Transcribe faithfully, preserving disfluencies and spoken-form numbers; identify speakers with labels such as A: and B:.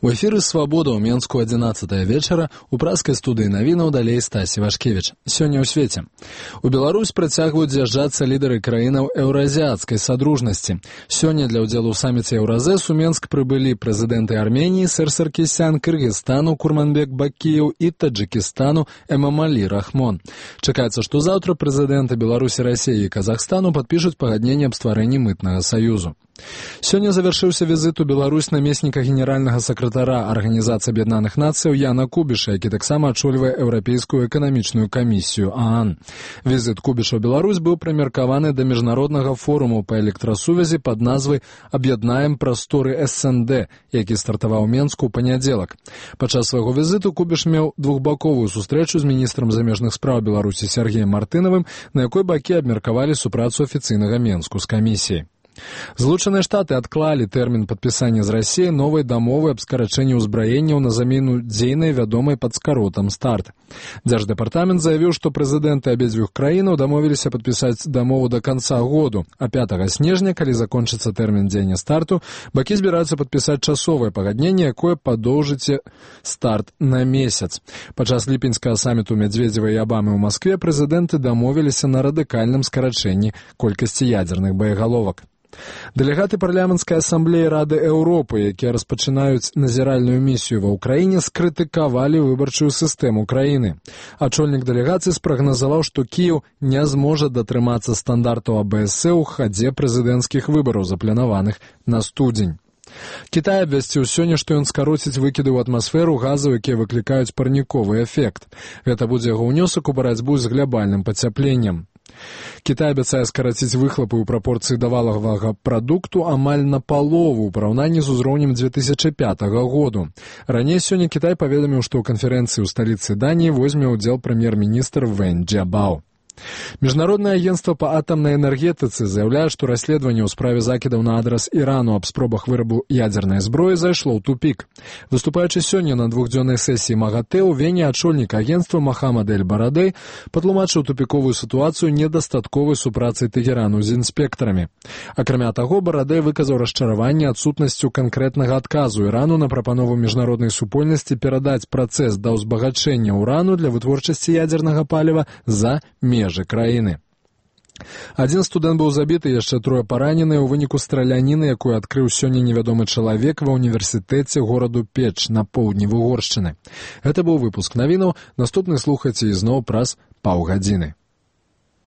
A: У эфіры «Свабода» ў Менску адзінаццатая вечара, у праскай студыі навінаў далей Стасі Вашкевіч. Сёння ў свеце. У Беларусь працягваюць з'язджацца лідары краінаў еўразіяцкай садружнасці. Сёння для ўдзелу ў саміце Еўразэс у Менск прыбылі прэзідэнты Арменіі Сэр Саркісян, Кыргызстану Курманбек Бакіеў і Таджикистану Эмомали Рахмон. Чакаецца, што заўтра прэзідэнты Беларусі, Расіі і Казахстану падпішуць пагадненне аб стварэнні мытнага саюзу. Сёння завяршыўся візіт у Беларусь намесніка генеральнага сакратара Арганізацыі Аб'яднаных Нацыяў Яна Кубіша, які таксама ачольвае Еўрапейскую эканамічную камісію ААН. Візіт Кубіша ў Беларусь быў прымеркаваны да міжнароднага форуму па электрасувязі пад назвай «Аб'яднаем прасторы эс эн дэ», які стартаваў у Менску ў панядзелак. Падчас свайго візіту Кубіш меў двухбаковую сустрэчу з міністрам замежных спраў Беларусі Сергеем Мартынавым, на якой бакі абмеркавалі супрацу афіцыйнага Менску з камісіяй. Злучаныя Штаты адклалі тэрмін падпісання з Расіяй новай дамовы аб скарачэнні ўзбраенняў на замену дзейнай вядомай пад скаротам «Старт». Дзярждэпартамент заявіў, што прэзідэнты абедзвюх краінаў дамовіліся падпісаць дамову да канца году, а пятага снежня, калі закончыцца тэрмін дзеяння «Старту», бакі збіраюцца падпісаць часовае пагадненне, якое падоўжыць «Старт» на месяц. Падчас ліпеньскага саміту Медведзева і Абамы ў Маскве прэзідэнты дамовіліся на радыкальным скарачэнні колькасці ядзерных боегаловак. Дэлегаты парламенцкай асамблеі Рады Еўропы, якія распачынаюць назіральную місію ва ўкраіне, скрытыкавалі выбарчую сістэму краіны. Ачольнік дэлегацыі спрагназаваў, што Кіеў не зможа датрымацца стандартаў а бэ эс э ў хадзе прэзідэнцкіх выбараў, запланаваных на студзень. Кітай абвясціў сёння, што ён скароціць выкіды ў атмасферу газаў, якія выклікаюць парніковы эфект. Гэта будзе яго ўнёсак у барацьбу з глябальным пацяпленнем. Кітай абяцае скараціць выхлапы ў прапорцыі да валавага прадукту амаль на палову ў параўнанні з узроўнем дзве тысячы пятага году. Раней сёння Кітай паведаміў, што ў канферэнцыі ў сталіцы Даніі возьме ўдзел прэм'ер-міністр Вэн Джабао. Міжнароднае агенцтва па атамнай энергетыцы заяўляе, што расследаванне ў справе закідаў на адрас Ірану аб спробах вырабу ядзернай зброі зайшло ў тупік. Выступаючы сёння на двухдзённай сесіі МАГАТЭ ў Вене, ачольнік агенцтва Махамад эль-Барадэй патлумачыў тупіковую сітуацыю недастатковай супрацай Тэгерану з інспектарамі. Акрамя таго, Барадэй выказаў расчараванне адсутнасцю канкрэтнага адказу Ірану на прапанову міжнароднай супольнасці перадаць працэс да ўзбагачэння ўрану для вытворчасці ядзернага паліва за межы краіны. Адзін студэнт быў забіты, яшчэ трое параненыя ў выніку страляніны, якую адкрыў сёння невядомы чалавек ва ўніверсітэце гораду Печ на поўдні Угоршчыны. Гэта быў выпуск навінаў. Наступны слухайце ізноў праз паўгадзіны.